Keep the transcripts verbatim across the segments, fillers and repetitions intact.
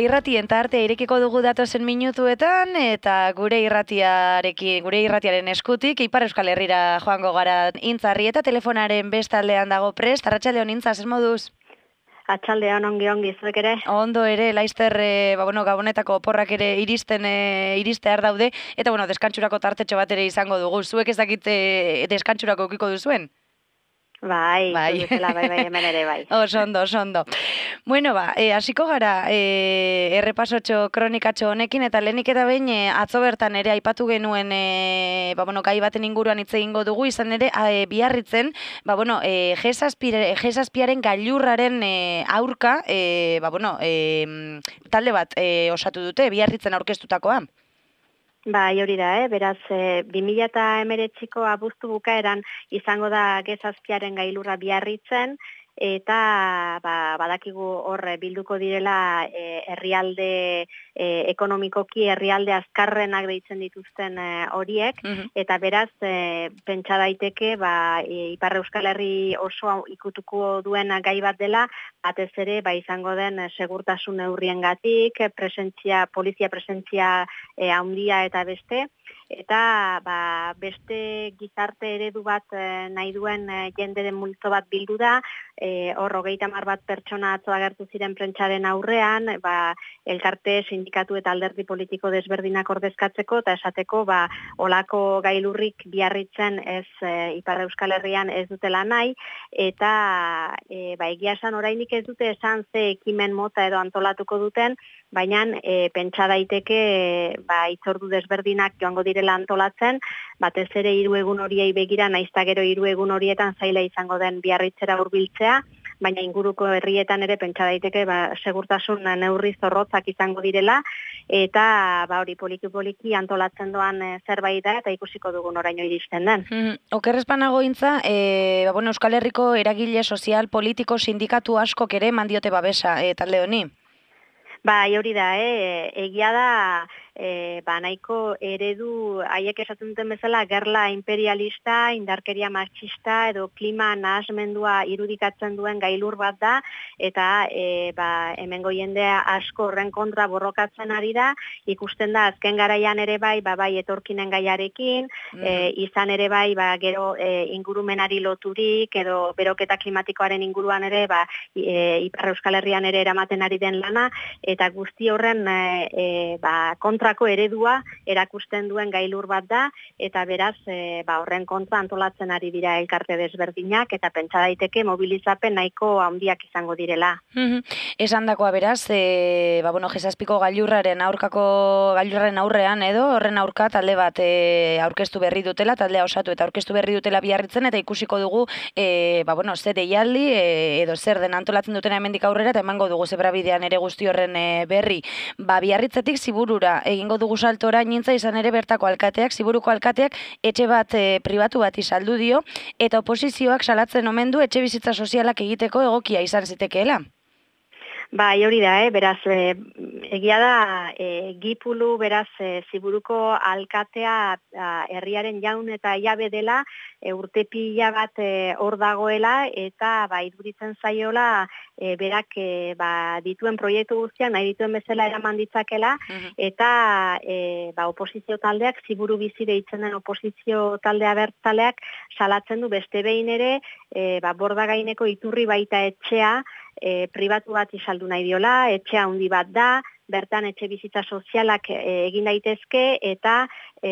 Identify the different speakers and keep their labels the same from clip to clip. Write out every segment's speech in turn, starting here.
Speaker 1: irratien tarte irekiko dugu datozen minutuetan, eta gure irratiarekin, gure irratiaren eskutik, Ipar Euskal Herrira joango gara Intzarri, eta telefonaren bestaldean dago prest. Arratsaldeon Intza, zer moduz?
Speaker 2: Atxaldean ongi ongi, zuek ere?
Speaker 1: Ondo ere, laizter, e, ba, bueno, gabonetako oporrak ere iristen, e, iristear daude, eta bueno, deskantxurako tartetxo bat ere izango dugu. Zuek ez dakit e, deskantxurako ukiko duzuen?
Speaker 2: Bai, bai. Duzela, bai, bai, hemen ere bai.
Speaker 1: Oso ondo, oso ondo. Bueno, ba, e, hasiko gara e, errepasotxo kronikatxo honekin, eta lehenik eta behin e, atzo bertan ere aipatu genuen e, ba, bueno, gai baten inguruan hitz egingo dugu, izan ere e, Biarritzen, ba, bueno, e, G zazpiaren gailurraren e, aurka, e, ba, bueno, e, talde bat e, osatu dute, Biarritzen aurkeztutakoa.
Speaker 2: Bai, hori da, eh? Beraz, e, bi mila hemeretziko abuztu bukaeran izango da G zazpiaren gailurra Biarritzen, eta ba, badakigu hor bilduko direla e, herrialde e, ekonomikoki herrialde azkarrenak deitzen dituzten e, horiek, uh-huh. Eta beraz, e, pentsa daiteke ba, e, Ipar Euskal Herri oso ikutuko duen gai bat dela, batez ere ba, izango den segurtasun neurriengatik, presentzia, polizia presentzia e, handia eta beste, eta ba, beste gizarte eredu bat e, nahi duen e, jenderen multzo bat bildu da, e, hor hogeita hamar bat pertsona atzo agertu ziren prentsaren aurrean, ba, elkarte, sindikatu eta alderdi politiko desberdinak ordezkatzeko, eta esateko ba, olako gailurrik Biarritzen ez e, Ipar Euskal Herrian ez dutela nahi, eta e, ba, egia esan orainik ez dute esan ze ekimen mota edo antolatuko duten, baina e, pentsa daiteke e, ba, itzordu desberdinak joango direla antolatzen, batez ere hiru egun horiei begira, naizta gero hiru egun horietan zaila izango den Biarritzera hurbiltzea, baina inguruko herrietan ere pentsa daiteke ba, segurtasun neurri zorrotzak izango direla, eta ba, hori poliki-poliki antolatzen doan e, zerbait da, eta ikusiko dugun oraino iristen den.
Speaker 1: Mm, Okerrezpanago Intza, e, ba, bueno, Euskal Herriko eragile sozial, politiko, sindikatu askok ere mandiote babesa e, talde honi?
Speaker 2: Bai, hori da, eh? Egia da, e, ba, nahiko eredu, haiek esaten duten bezala, gerla imperialista, indarkeria machista edo klima nahasmendua irudikatzen duen gailur bat da, eta e, ba, hemengo jendea asko horren kontra borrokatzen ari da, ikusten da azken garaian ere bai, ba, bai etorkinen gaiarekin, mm. e, izan ere bai, ba, gero e, ingurumenari loturik, edo beroketa klimatikoaren inguruan ere, ba, e, Ipar Euskal Herrian ere eramaten ari den lana, eta guzti horren e, e, ba, kontrako eredua erakusten duen gailur bat da, eta beraz e, ba, horren kontra antolatzen ari dira elkarte desberdinak, eta pentsa daiteke mobilizapen nahiko handiak izango direla.
Speaker 1: Esan dakoa beraz, e, ba, bueno, G zazpiko gailurraren aurkako gailurraren aurrean edo, horren aurka talde bat e, aurkeztu berri dutela, taldea osatu eta aurkeztu berri dutela Biarritzen, eta ikusiko dugu e, ba, bueno, zer deialdi e, edo zer den antolatzen dutena hemendik aurrera, eta emango dugu zebrabidean ere guzti horren berri. Ba, Biarritzetik Ziburura egingo dugu saltora Intza, izan ere bertako alkateak, Ziburuko alkateak etxe bat e, pribatu bat saldu dio, eta oposizioak salatzen omen du etxe bizitza sozialak egiteko egokia izan zitekeela.
Speaker 2: Bai, hori da, eh? Beraz, e, egia da, e, Gipulu, beraz, e, Ziburuko alkatea a, herriaren jaun eta jabe dela, e, urte pila bat hor e, dagoela, eta ba, iduritzen zaiola, e, berak e, ba, dituen proiektu guztiak, nahi dituen bezala eraman ditzakela, uh-huh. eta e, ba, oposizio taldeak, Ziburu bizi deitzen den oposizio taldea bertzaleak, salatzen du beste behin ere, e, ba, bordagaineko iturri baita etxea, E, pribatu bat izaldu nahi diola, etxe handi bat da, bertan etxe bizitza sozialak e, egin daitezke, eta e,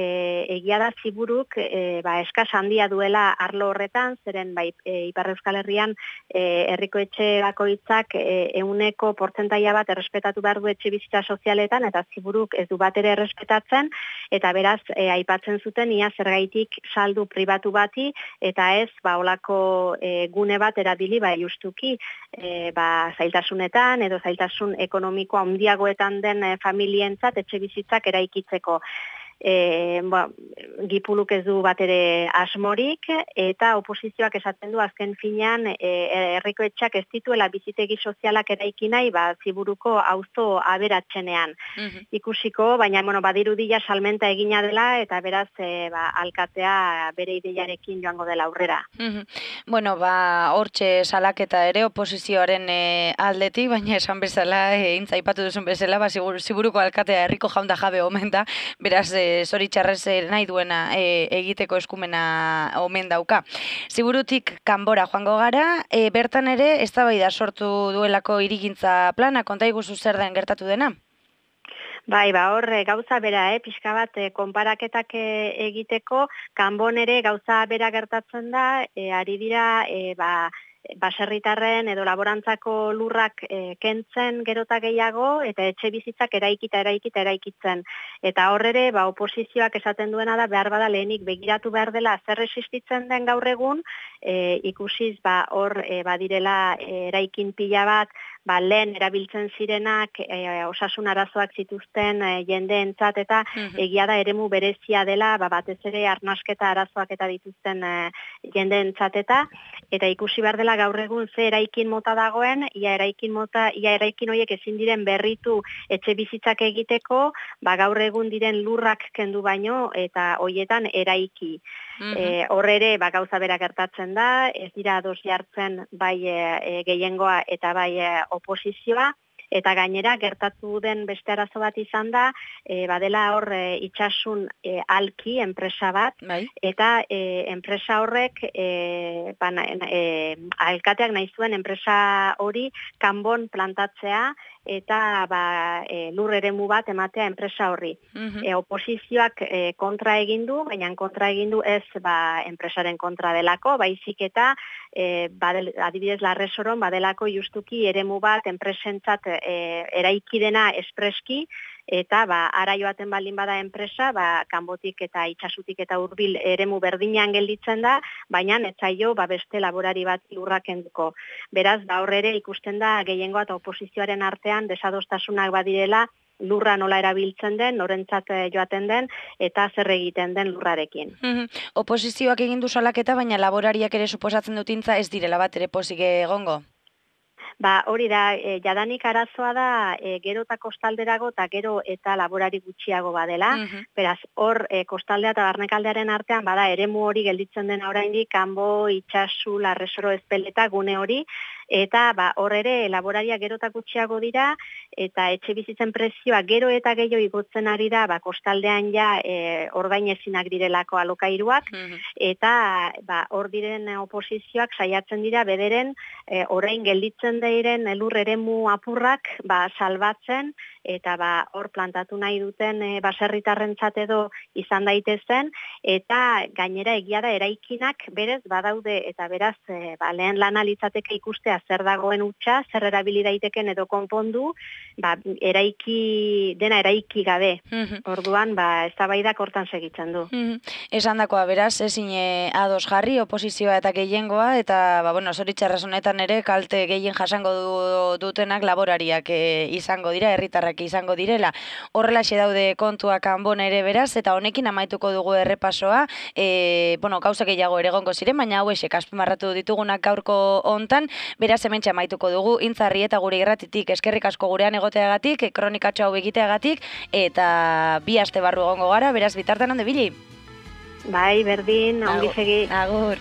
Speaker 2: egia da Ziburuk e, ba, eskas handia duela arlo horretan, zeren bai, e, Ipar Euskal Herrian e, herriko etxe bakoitzak e, euneko portzentaia bat errespetatu behar du etxe bizitza sozialetan, eta Ziburuk ez du bat ere errespetatzen, eta beraz, e, aipatzen zuten ia zergaitik saldu pribatu bati, eta ez, ba, olako e, gune bat erabili, ba, justuki, e, ba, zailtasunetan, edo zailtasun ekonomiko handiagoetan den e, familientzat etxe bizitzak eraikitzeko. e, ba, Gipuluk ez du bat ere asmorik, eta oposizioak esaten du azken finean e, herriko etxak ez dituela bizitegi sozialak eraiki nahi, ba, Ziburuko auzo aberatsenean.
Speaker 1: Mhm.
Speaker 2: Ikusiko, baina bueno, badirudia salmenta egina dela, eta beraz e, ba, alkatea bere ideiarekin joango dela aurrera.
Speaker 1: Mhm. Bueno, ba, hortxe salaketa ere oposizioaren e, aldetik, baina esan bezala, e, intza aipatu duzun bezala, ba, Zigur- Ziburuko alkatea herriko jaun da jabe omen da, beraz, e, zoritxarrez e, nahi duena e, egiteko eskumena omen dauka. Ziburutik kanbora joango gara, e, bertan ere eztabaida sortu duelako hirigintza plana, konta iguzu zer den gertatu dena?
Speaker 2: Bai, ba, hor e, gauza bera, eh, pixka bat e, konparaketak e, egiteko, kanbon ere gauza bera gertatzen da, e, ari dira, e, ba, baserritarren edo laborantzako lurrak e, kentzen gerota gehiago, eta etxe bizitzak eraikita, eraikita, eraikitzen. Eta hor ere, ba, oposizioak esaten duena da, behar bada lehenik begiratu behar dela zer existitzen den gaur egun, e, ikusiz, ba, hor e, badirela e, eraikin pila bat, ba, lehen erabiltzen zirenak e, osasun arazoak zituzten e, jendeentzat, eta egia da eremu berezia dela, ba, batez ere arnasketa arazoak eta dituzten e, jendeentzat, eta eta ikusi behar dela gaur egun ze eraikin mota dagoen, ia eraikin mota, ia eraikin horiek ezin diren berritu etxe bizitzak egiteko, ba, gaur egun diren lurrak kendu baino, eta hoietan eraiki. E, hor ere, ba, gauza bera gertatzen da, ez dira ados jartzen bai e, gehiengoa eta bai e, oposizioa, eta gainera gertatu den beste arazo bat izan da, e, badela hor e, itxasun e, alki enpresa bat,
Speaker 1: Bai.
Speaker 2: eta e, enpresa horrek, e, ba, e, alkateak nahi zuen enpresa hori kanbon plantatzea, eta ba, e, lur eremu bat ematea enpresa horri.
Speaker 1: Mhm.
Speaker 2: E, oposizioak e, kontra egin du, baina kontra egin du ez ba, enpresaren kontra delako, baizik eta e, badel, adibidez Larresoron badelako justuki eremu bat enpresentzat e, eraiki dena espreski, eta ba, ara joaten baldin bada enpresa, ba, kanbotik eta itxasutik eta hurbil eremu berdinean gelditzen da, baina ez zaio ba, beste laborari bat lurra kenduko. Beraz, ba, hor ere ikusten da gehiengoa eta oposizioaren artean desadostasunak badirela, lurra nola erabiltzen den, norentzat joaten den, eta zer egiten den lurrarekin.
Speaker 1: Mhm. Oposizioak egin du salaketa, baina laborariak ere suposatzen dutintza ez direla bat ere pozik egongo.
Speaker 2: Ba, hori da, e, jadanik arazoa da e, gero eta kostalderago eta gero eta laborari gutxiago badela.
Speaker 1: Mhm.
Speaker 2: Beraz, hor e, kostaldea eta barnekaldearen artean bada eremu hori gelditzen den oraindik kanbo, itsasu, Larresoro, Ezpeleta gune hori, eta ba, hor ere laboraria gero eta gutxiago dira, eta etxe bizitzen prezioa gero eta gehiago igotzen ari da, ba, kostaldean ja e, ordain ezinak direlako alokairuak,
Speaker 1: Mhm.
Speaker 2: eta ba, hor diren oposizioak saiatzen dira bederen e, orain gelditzen diren elur eremu apurrak ba, salbatzen, eta ba, hor plantatu nahi duten e, baserritarrentzat edo izan daitezen, eta gainera egia da eraikinak berez badaude, eta beraz e, ba, lehen lana litzateke ikustea zer dagoen hutsa, zer erabili daiteken edo konpondu, ba, eraiki, dena eraiki gabe.
Speaker 1: Mhm.
Speaker 2: Orduan, ba, eztabaidak hortan segitzen du.
Speaker 1: Mhm. Esandakoa beraz, ezin e, ados jarri, oposizioa eta gehiengoa, eta, ba, bueno, zoritxarraz honetan ere, kalte gehien jasango du, dutenak laborariak e, izango dira, herritarrak izango direla. Horrelaxe daude kontuak kanbon ere beraz, eta honekin amaituko dugu errepasoa, e, bueno, gauza gehiago ere egongo ziren, baina hauexek azpimarratu ditugunak gaurko hontan, beraz hementxe amaituko dugu, intzarri eta gure irratitik eskerrik asko gurean egoteagatik, kronikatxo hau egiteagatik, eta bi aste barru egongo gara, beraz bitartean onde bili.
Speaker 2: Bai, berdin, ongi segi.
Speaker 1: Agur.